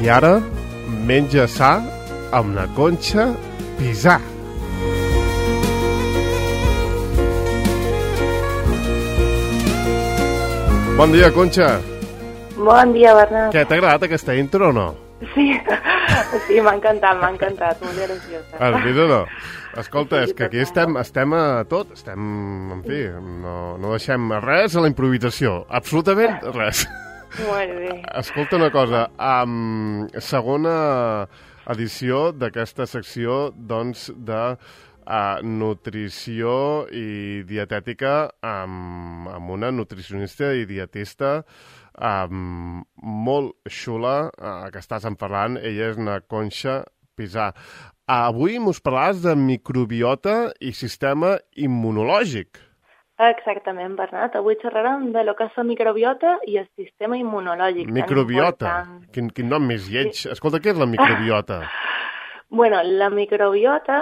I ara, menja sa amb la Conxa Pisà. Bon dia, Conxa. Bon dia, Bernat. Què, t'ha agradat aquesta intro o no? Sí, m'ha encantat, molt graciosa. Has vist o no? Escolta, és que aquí estem a tot, en fi, no deixem res a la improvisació, absolutament res. Molt bé. Escolta una cosa, segona edició d'aquesta secció, doncs, de nutrició i dietètica amb una nutricionista i dietista molt xula que estàs parlant. Ella és una Conxa Pisà. Avui mos parlaràs de microbiota i sistema immunològic. Exactament, Bernat. Avui xerrarem de lo que és la microbiota i el sistema immunològic. Microbiota? Quin nom més lleig. Escolta, què és la microbiota? Bueno, la microbiota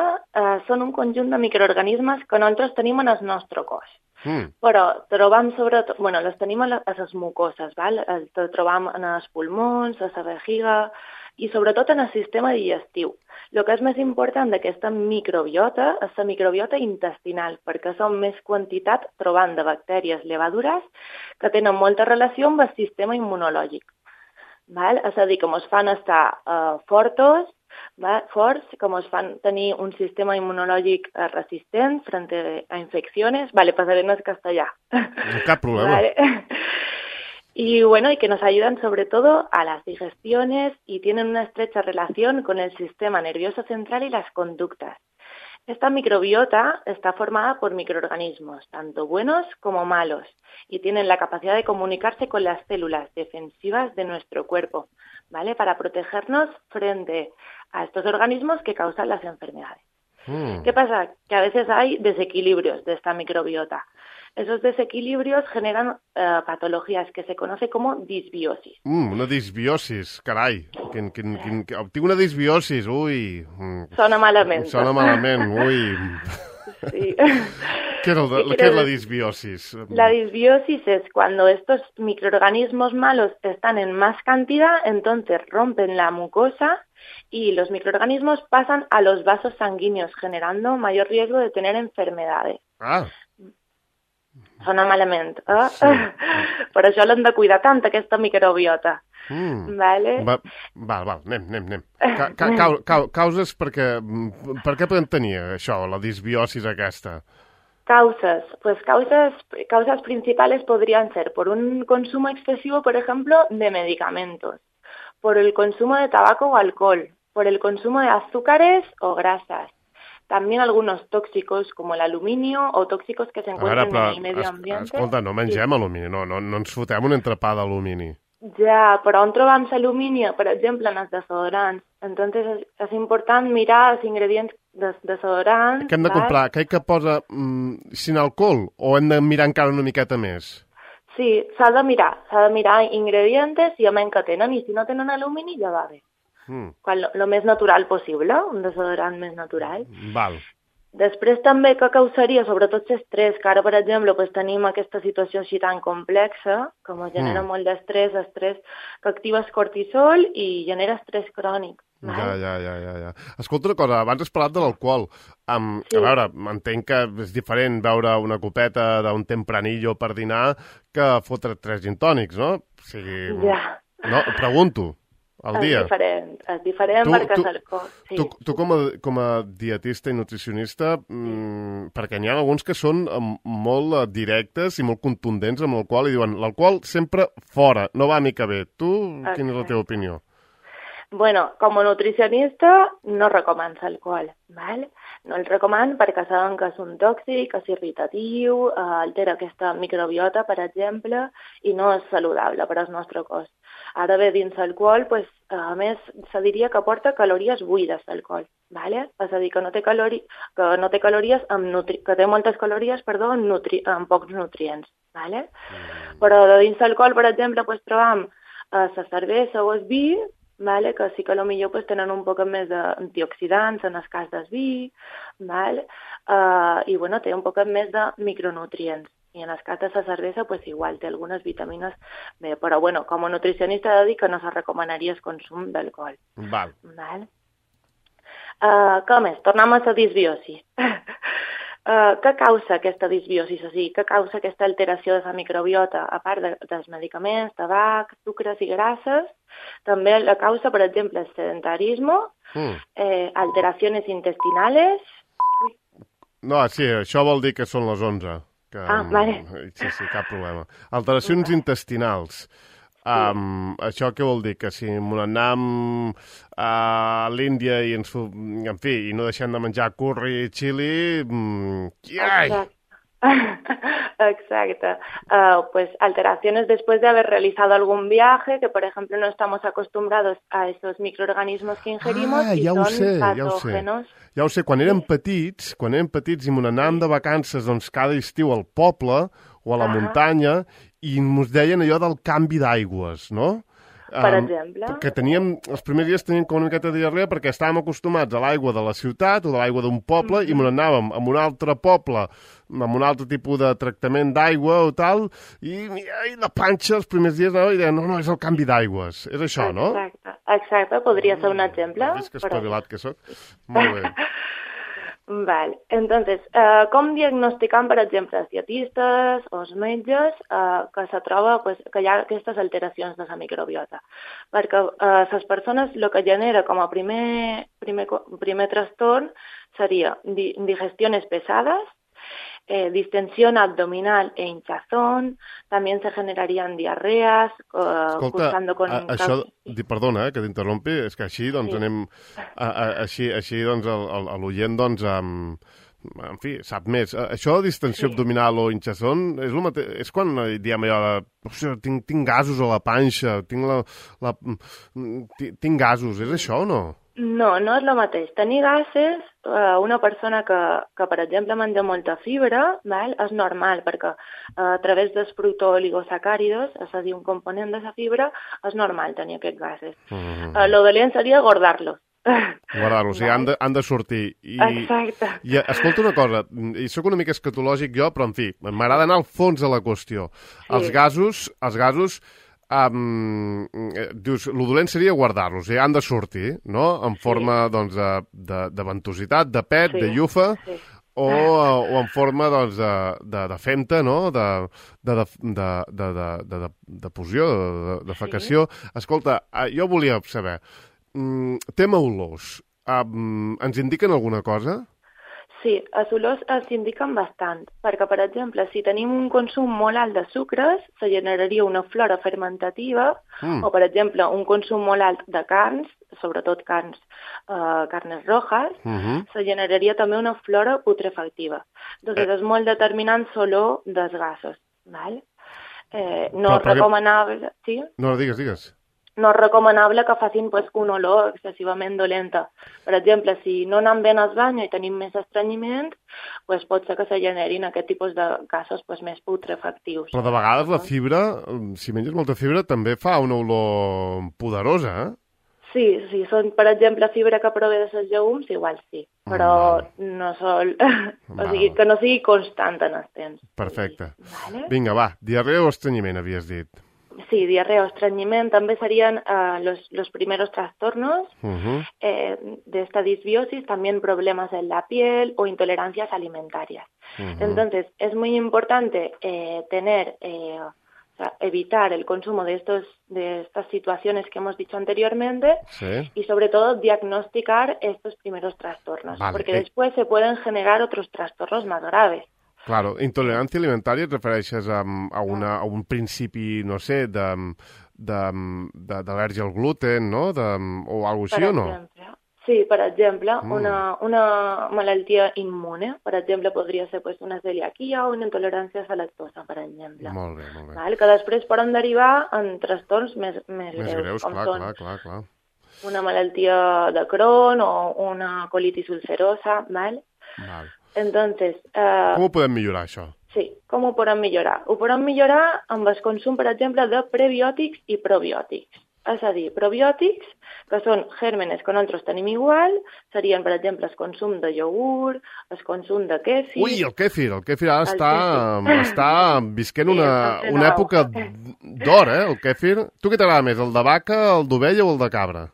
són un conjunt de microorganismes que nosaltres tenim en el nostre cos. Però trobam sobretot, les tenim a les mucoses, val? Les trobam en els pulmons, a la vejiga i sobretot en el sistema digestiu. El que és més important d'aquesta microbiota és la microbiota intestinal, perquè són més quantitat trobant de bactèries levadures que tenen molta relació amb el sistema immunològic. Val? És a dir, que ens fan estar forts, que ens fan tenir un sistema inmunològic resistent frente a infecciones. Vale, pasaré en el castellà. No cap problema. Vale. Y que nos ayudan sobre todo a las digestiones y tienen una estrecha relación con el sistema nervioso central y las conductas. Esta microbiota está formada por microorganismos, tanto buenos como malos, y tienen la capacidad de comunicarse con las células defensivas de nuestro cuerpo, ¿vale? Para protegernos frente a estos organismos que causan las enfermedades. ¿Qué pasa? Que a veces hay desequilibrios de esta microbiota. Esos desequilibrios generan patologías que se conoce como disbiosis. Una disbiosis, carai. Tinc una disbiosis, ui. Sona malament. Sona malament, ui. Sí. ¿Qué es la disbiosis? La disbiosis es cuando estos microorganismos malos están en más cantidad, entonces rompen la mucosa y los microorganismos pasan a los vasos sanguíneos, generando mayor riesgo de tener enfermedades. Sona malament. Sí. Per això l'hem de cuidar tant, aquesta microbiota. Vale? Val, anem. Causes per què podem tenir això, la disbiosis aquesta? Causas. Pues causas principales podrían ser por un consumo excesivo, por ejemplo, de medicamentos, por el consumo de tabaco o alcohol, por el consumo de azúcares o grasas. También algunos tóxicos como el aluminio o tóxicos que se encuentran en el medio ambiente. Escolta, no mengem alumini, no ens fotem un entrepà d'alumini. Ja, però on trobam l'alumini? Per exemple, en els desodorants. Entonces és important mirar els ingredients dels desodorants. Què hem de comprar? Què que posa sin alcohol o hem de mirar encara una miqueta més? Sí, s'ha de mirar ingredients i a menys que tenen, i si no tenen alumini ja va bé. Lo més natural possible, un desodorant més natural. Val. Després també que causaria, sobretot l'estrès, que ara, per exemple, tenim aquesta situació així tan complexa, que ens genera molt d'estrès, estrès que activa el cortisol i genera estrès crònic. Ja. Escolta una cosa, abans has parlat de l'alcohol. Sí. A veure, entenc que és diferent veure una copeta d'un tempranillo per dinar que fotre 3 gin tònics, no? O sigui, no, pregunto. Al dia. És diferent perquè és alcohol. Sí. Tu com a dietista i nutricionista, perquè n'hi ha alguns que són molt directes i molt contundents amb l'alcohol i diuen l'alcohol sempre fora, no va mica bé. Tu, quina és la teva opinió? Bueno, com a nutricionista no recomano l'alcohol, ¿vale? No el recomano perquè saben que és un tòxic, és irritatiu, altera aquesta microbiota, per exemple, i no és saludable per al nostre cos. Ara bé, dins l'alcohol, a més, se diria que porta calories buides, l'alcohol, ¿vale? És a dir, que té moltes calories, amb pocs nutrients, ¿vale? Però dins l'alcohol, per exemple, trobam la cervesa o el vi, ¿vale? Que sí que potser tenen un poc més d'antioxidants en el cas del vi, ¿vale? I té un poc més de micronutrients. I en el cas de la cervesa, pues, igual té algunes vitamines B. Però, bueno, com a nutricionista he de dir que no se recomanaria el consum d'alcohol. Val. Què més? Tornem a la disbiosi. Què causa aquesta disbiosi? O sigui, què causa aquesta alteració de la microbiota? A part dels medicaments, tabac, sucres i grasses, també la causa, per exemple, el sedentarisme, alteracions intestinales... No, sí, això vol dir que són les 11. Vale. Sí, cap problema. Alteracions intestinals. Això què vol dir? Que si n'anem a l'Índia i en fi, i no deixem de menjar curri i xili... Exacte. Pues alteraciones después de haber realizado algún viaje, que por ejemplo no estamos acostumbrados a esos microorganismos que ingerimos y son patógenos. Ja ho sé, quan érem petits i n'anàvem de vacances doncs, cada estiu al poble o a la muntanya i ens deien allò del canvi d'aigües, no? Per exemple. Que els primers dies teníem com una miqueta de diarrea perquè estàvem acostumats a l'aigua de la ciutat o de l'aigua d'un poble i anàvem a un altre poble amb un altre tipus de tractament d'aigua o tal, i la panxa els primers dies anava i deia, no, és el canvi d'aigües. És això, no? Exacte, podria ser un exemple. Vist que espavilat que soc? Molt bé. Vale. Entonces, com diagnosticam, per exemple, els dietistes o els metges que se troba que hi ha aquestes alteracions de la microbiota? Perquè les persones el que genera com a primer trastorn seria digestiones pesadas, distensión abdominal e hinchazón, también se generarían diarreas, cursando con... Això, perdona, que t'interrompi, és que així doncs anem... Així doncs l'oient doncs... En fi, sap més. Això de distensió abdominal o hinchazón és el mateix, és quan diem allò de tinc gasos a la panxa, tinc gasos, és això o no? No, no és el mateix. Tenir gases, una persona que per exemple, menja molta fibra, és normal, perquè a través dels fructooligosacàridos, és a dir, un component de la fibra, és normal tenir aquests gases. Lo dolent seria guardar-los. Guardar-los, i han de sortir. Exacte. I escolta una cosa, i sóc una mica escatològic jo, però en fi, m'agrada anar al fons de la qüestió. Sí. Els gasos dius, el dolent seria guardar-los, han de sortir, no? En forma, doncs, de ventositat, de pet, de llufa, o en forma, doncs, de femta, no? De fusió, de fecació. Escolta, jo volia saber, tema olors, ens indiquen alguna cosa? Sí, els olors s'indiquen bastant, perquè, per exemple, si tenim un consum molt alt de sucres, se generaria una flora fermentativa, o, per exemple, un consum molt alt de carns, sobretot carnes rojas, se generaria també una flora putrefactiva. Entonces, és molt determinant l'olor dels gasos, val? No és recomanable... Sí? No, digues. No és recomanable que facin una olor excessivament dolenta. Per exemple, si no anem bé al bany i tenim més estrenyiment, pot ser que se generin aquest tipus de gasos més putrefactius. Però de vegades la fibra, si menges molta fibra, també fa una olor poderosa, eh? Sí, si són, per exemple, fibra que prové de les llegums, igual sí, però no sol... O sigui, que no sigui constant en el temps. Perfecte. Vinga, va, diarrea o estrenyiment, havies dit. Sí, diarrea o estreñimiento también serían los primeros trastornos de esta disbiosis, también problemas en la piel o intolerancias alimentarias. Entonces, es muy importante evitar el consumo de estas situaciones que hemos dicho anteriormente y sobre todo diagnosticar estos primeros trastornos, porque después se pueden generar otros trastornos más graves. Claro, intolerància alimentària et refereixes a un principi, no sé, d'al·lèrgia al gluten, no? O alguna cosa així, o no? Sí, per exemple, una malaltia immune, per exemple, podria ser una celiaquia o una intolerància a la lactosa, per exemple. Molt bé, molt bé. Que després poden derivar en trastorns més greus, com clar. Una malaltia de Crohn o una colitis ulcerosa, ¿vale? Entonces... Com ho podem millorar, això? Sí, com ho podem millorar? Ho podem millorar amb el consum, per exemple, de prebiòtics i probiòtics. És a dir, probiòtics, que són gèrmenes que nosaltres tenim igual, serien, per exemple, el consum de iogurt, el consum de kéfir... Ui, el kéfir ara està visquent una època d'or, el kéfir. Tu què t'agrada més, el de vaca, el d'ovella o el de cabra?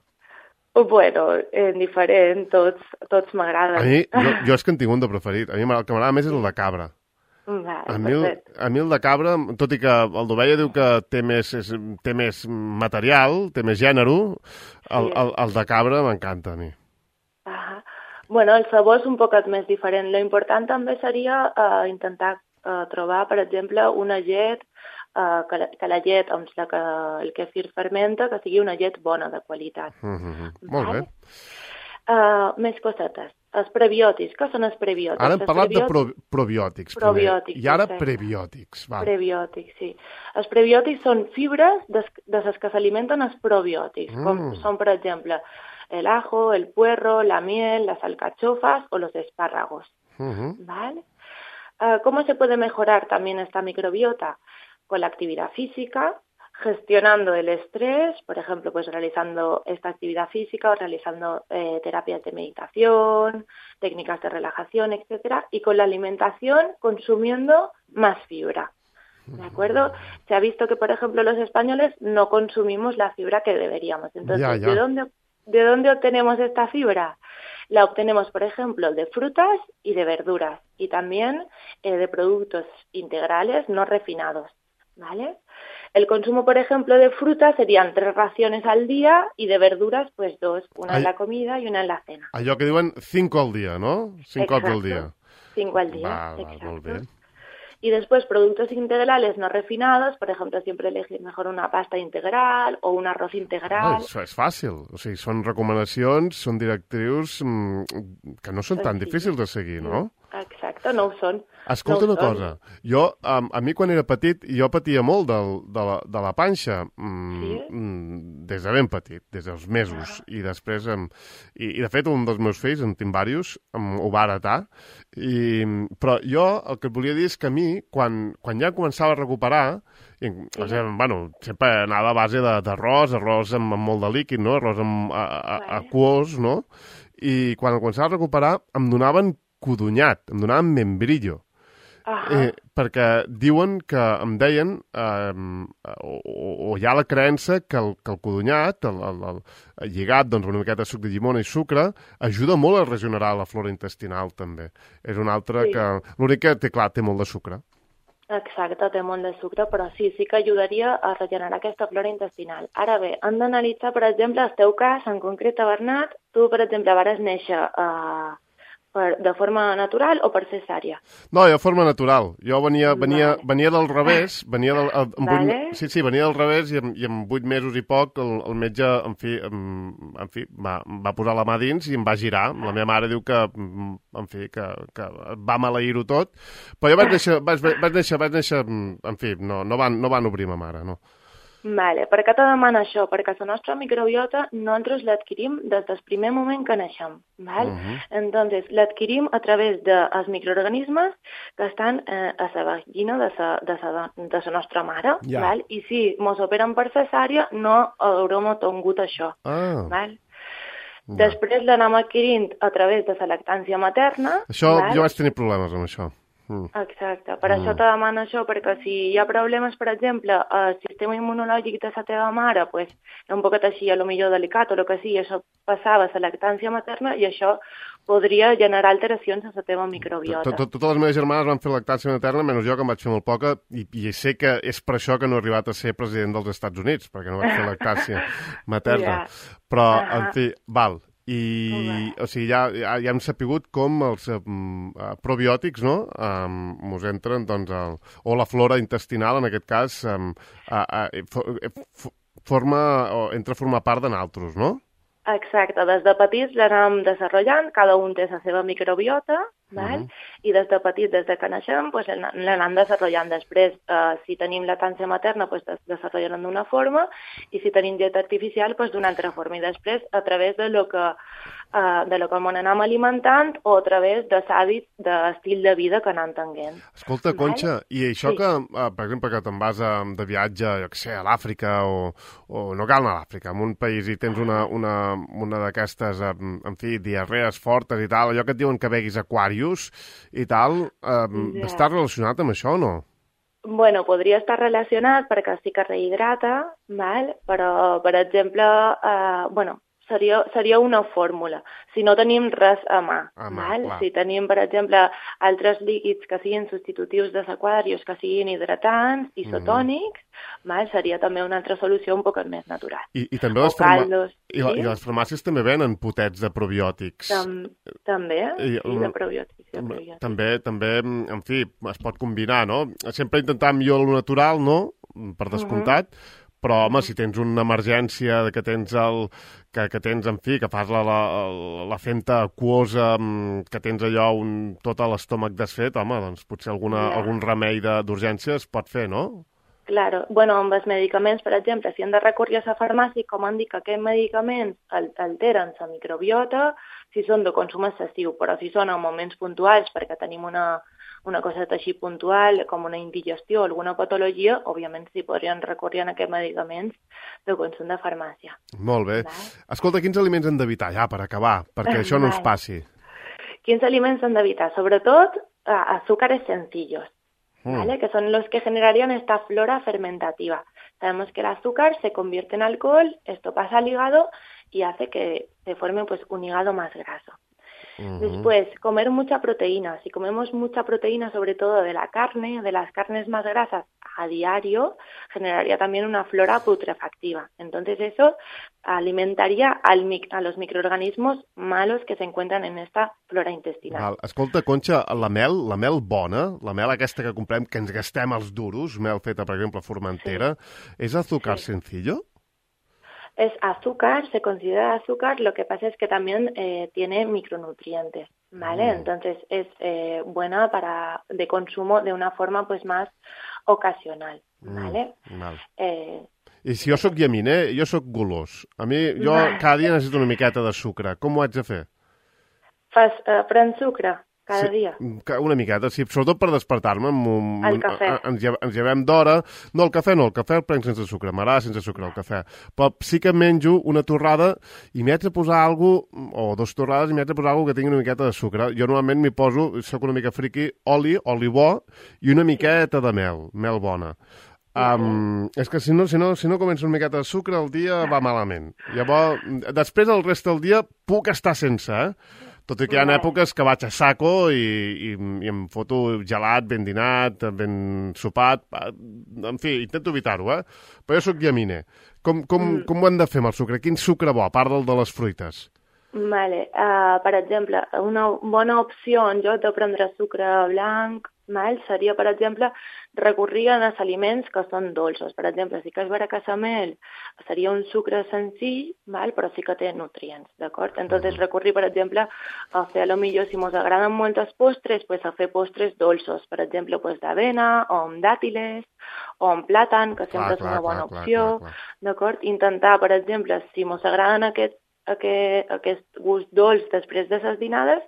Bueno, diferent, tots m'agraden. A mi, jo és que en tinc un de preferit. A mi el que m'agrada més és el de cabra. Vale, a mi el de cabra, tot i que el d'ovella diu que té més material, té més gènere, el de cabra m'encanta a mi. Bueno, el sabor és un poquet més diferent. Lo important també seria intentar trobar, per exemple, una llet, que la llet amb la que el kéfir fermenta, que sigui una llet bona, de qualitat. Molt bé. Més cosetes. Els prebiòtics. Què són els prebiòtics? Ara hem parlat de probiòtics primer, i ara prebiòtics. Prebiòtics, sí. Els prebiòtics són fibres de les que s'alimenten els probiòtics, com són, per exemple, el ajo, el puerro, la miel, las alcachofas o los espárragos. ¿Vale? ¿Cómo se puede mejorar también esta microbiota? Con la actividad física, gestionando el estrés, por ejemplo, pues realizando esta actividad física o realizando terapias de meditación, técnicas de relajación, etcétera, y con la alimentación consumiendo más fibra. ¿De acuerdo? Se ha visto que, por ejemplo, los españoles no consumimos la fibra que deberíamos. Entonces, ¿de dónde obtenemos esta fibra? La obtenemos, por ejemplo, de frutas y de verduras, y también de productos integrales no refinados, ¿vale? El consumo, por ejemplo, de frutas serían 3 raciones al día y de verduras, pues 2, una en la comida y una en la cena. Allò que diuen 5 al dia, ¿no? 5 cops al día. 5 al día, exacto. Molt bé. Y después productos integrales no refinados, por ejemplo, siempre elegir mejor una pasta integral o un arroz integral. Això és fàcil, o sigui, són recomanacions, són directrius que no són tan difícils de seguir, no? Exacte, no ho són. Escolta una cosa, jo, a mi quan era petit, jo patia molt de la panxa, des de ben petit, des dels mesos, i després, i de fet un dels meus fills, en tinc diversos, ho va heretar, però jo el que et volia dir és que a mi, quan ja començava a recuperar, bueno, sempre anava a base d'arròs amb molt de líquid, no? Arròs aquós, no? I quan el començava a recuperar em donaven codonyat, em donaven membrillo. Perquè diuen que, em deien, o hi ha la creença que el codonyat, el lligat, doncs, una miqueta de suc de llimona i sucre, ajuda molt a regenerar la flora intestinal, també. És un altre que... L'únic que, clar, té molt de sucre. Exacte, té molt de sucre, però sí que ajudaria a regenerar aquesta flora intestinal. Ara bé, hem d'analitzar, per exemple, el teu cas, en concret, Bernat, tu, per exemple, vares néixer de forma natural o per cesària? No, de forma natural. Jo venia del revés, venia del revés i en 8 mesos i poc el metge, en fi, va posar la mà dins i em va girar. La meva mare diu que, en fi, que va maleir-ho tot. Però jo vaig néixer, en fi, no van obrir ma mare, no. Vale. Per què te demana això? Perquè la nostra microbiota nosaltres l'adquirim des del primer moment que naixem. ¿Vale? Entonces, l'adquirim a través dels microorganismes que estan a la vagina de la nostra mare. ¿Vale? I si mos operen per cesària, no haurem tingut això. ¿Vale? Després l'anem adquirint a través de la lactància materna. Això, jo vaig tenir problemes amb això. Exacte, per això te demano això, perquè si hi ha problemes, per exemple, al sistema immunològic de la teva mare, pues, un poquet així, a lo millor delicat o el que sigui, això passava a la lactància materna i això podria generar alteracions a la teva microbiota. Totes les meves germanes van fer lactància materna, menys jo, que em vaig fer molt poca, i sé que és per això que no he arribat a ser president dels Estats Units, perquè no vaig fer lactància materna. Però, en fi, val. O sigui, ja hem sapigut com els probiòtics, no?, mos entren, doncs, o la flora intestinal, en aquest cas, entra a formar part de nosaltres, no? Exacte, des de petits l'anem desenvolupant, cada un té la seva microbiota, i des de petits, des de que naixem, pues, l'anem desenvolupant. Després, si tenim lactància materna, pues, desenvoluparem d'una forma, i si tenim llet artificial, pues, d'una altra forma. I després, a través de lo que de lo que m'anem alimentant o a través de hàbits d'estil de vida que anem tenint. Escolta, Conxa, i això que, per exemple, que te'n vas de viatge, jo què sé, a l'Àfrica o no cal anar a l'Àfrica, en un país i tens una d'aquestes, en fi, diarrees fortes i tal, allò que et diuen que beguis Aquarius i tal, està relacionat amb això o no? Bueno, podria estar relacionat perquè sí que rehidrata, val? Però, per exemple, seria una fórmula. Si no tenim res a mà, val? Si tenim, per exemple, altres líquids que siguin substitutius dels aquarius, que siguin hidratants, isotònics, val? Seria també una altra solució un poc més natural. I també les farmàcies també venen potets de probiòtics. També, de probiòtics. També, en fi, es pot combinar, no? Sempre intentar millor lo natural, no? Per descomptat, però, home, si tens una emergència que tens que tens, en fi, que fas la fenta aquosa, que tens allò tot l'estómac desfet, home, doncs potser algun remei d'urgència es pot fer, no? Claro. Bueno, amb els medicaments, per exemple, si hem de recórrer a la farmàcia, com han dit que aquests medicaments alteren la microbiota, si són de consum excessiu, però si són en moments puntuals, perquè tenim una cosa així puntual, com una indigestió o alguna patologia, òbviament s'hi podrien recórrer a aquests medicaments de consum de farmàcia. Molt bé. Escolta, quins aliments hem d'evitar, ja, per acabar, perquè això no ens passi? Quins aliments hem d'evitar? Sobretot, azúcares sencillos. ¿Vale? Que son los que generarían esta flora fermentativa. Sabemos que el azúcar se convierte en alcohol, esto pasa al hígado y hace que se forme pues un hígado más graso. Después, comer mucha proteína. Si comemos mucha proteína, sobre todo de la carne, de las carnes más grasas a diario, generaría también una flora putrefactiva. Entonces eso alimentaría a los microorganismos malos que se encuentran en esta flora intestinal. Escolta, Conxa, la mel bona, la mel aquesta que comprem, que ens gastem els duros, mel feta, per exemple, a Formentera, ¿es azúcar sencillo? Es azúcar, se considera azúcar, lo que pasa es que también tiene micronutrientes, ¿vale? Entonces es buena de consumo de una forma pues más ocasional, ¿vale? I si jo sóc llaminer, jo sóc golós. Jo cada dia necessito una miqueta de sucre. Com ho haig de fer? Prens sucre cada dia? Una miqueta, sí. Sobretot per despertar-me. El cafè. Ens llevem d'hora. No, el cafè el prenc sense sucre. M'agrada sense sucre, el cafè. Però sí que menjo una torrada i m'hi haig de posar alguna cosa, o 2 torrades, i m'hi haig de posar alguna cosa que tingui una miqueta de sucre. Jo normalment m'hi poso, soc una mica friqui, oli bo i una miqueta de mel bona. És que si no començo una miqueta de sucre, el dia va malament. Llavors, després el rest del dia puc estar sense, Tot i que hi ha èpoques que vaig a saco i em foto gelat, ben dinat, ben sopat. En fi, intento evitar-ho, Però jo sóc llaminer. Com ho hem de fer amb el sucre? Quin sucre bo, a part del de les fruites? Vale. Per exemple, una bona opció en lloc de prendre sucre blanc seria, per exemple, recurrir als aliments que són dolços. Per exemple, si que és baracassamel, seria un sucre senzill, però sí que té nutrients, d'acord? Entonces, recurrir, per exemple, a fer, potser, si ens agraden molt els postres, pues a fer postres dolços, per exemple, pues d'avena, o amb dàtiles, o amb plàtan, que sempre és una bona opció, d'acord? Intentar, per exemple, si ens agraden aquest gust dolç després de les dinades,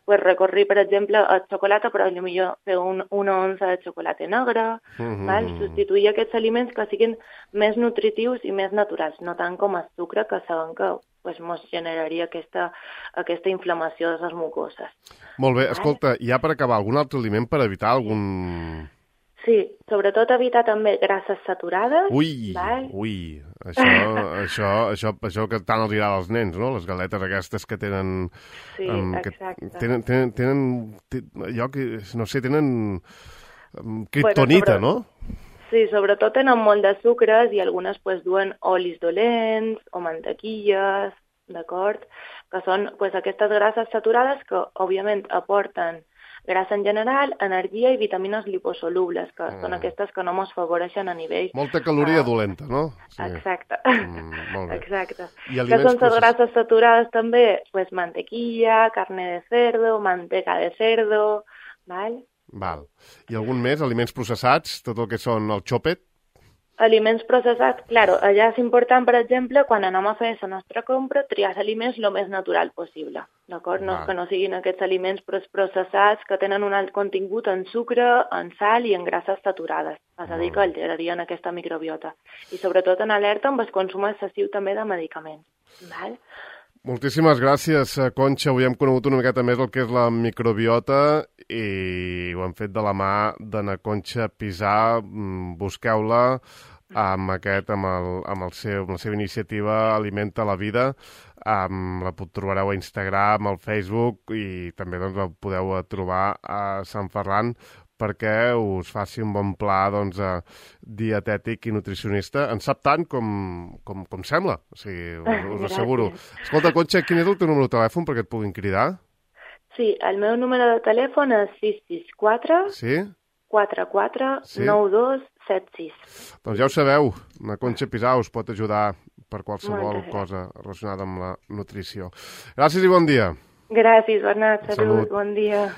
pues recorrir, per exemple, el xocolata, però potser fer una onça de xocolata negre, substituir aquests aliments que siguin més nutritius i més naturals, no tant com el sucre, que sabem que ens generaria aquesta inflamació de les mucoses. Molt bé, escolta, ja per acabar, algun altre aliment per evitar algun... Sí, sobretot evitar també grasses saturades. Ui, això que tant els agrada als nens, no? Les galetes aquestes que tenen... Sí, exacte. Tenen allò que, no sé, tenen kriptonita, no? Sí, sobretot tenen molt de sucres i algunes duen olis dolents o mantequilles, d'acord? Que són aquestes grasses saturades que, òbviament, aporten grassa en general, energia i vitamines liposolubles, que són aquestes que no ens favoreixen a nivell... Molta caloria dolenta, no? Sí. Exacte. Molt bé. Exacte. Que són les grasses saturades també? Pues mantequilla, carne de cerdo, manteca de cerdo, Val. I algun més? Aliments processats? Tot el que són el xòpet? Aliments processats, claro, allà és important, per exemple, quan anem a fer la nostra compra, triar aliments el més natural possible, d'acord? No, que no siguin aquests aliments processats que tenen un alt contingut en sucre, en sal i en grasses saturades. És a dir, que alterarien aquesta microbiota. I sobretot en alerta amb el consum excessiu també de medicaments. Val? Moltíssimes gràcies, Conxa. Avui hem conegut una miqueta més el que és la microbiota i ho hem fet de la mà d'Anna Conxa Pisà. Busqueu-la amb la seva iniciativa Alimenta la Vida. La trobareu a Instagram, al Facebook i també la podeu trobar a Sant Ferran perquè us faci un bon pla dietètic i nutricionista. En sap tant com sembla, o sigui, us asseguro. Escolta, Conxa, quin és el teu número de telèfon perquè et puguin cridar? Sí, el meu número de telèfon és 664 44 9276. Doncs ja ho sabeu, la Conxa Pisà us pot ajudar per qualsevol cosa relacionada amb la nutrició. Gràcies i bon dia. Gràcies, Bernat. Salut, bon dia.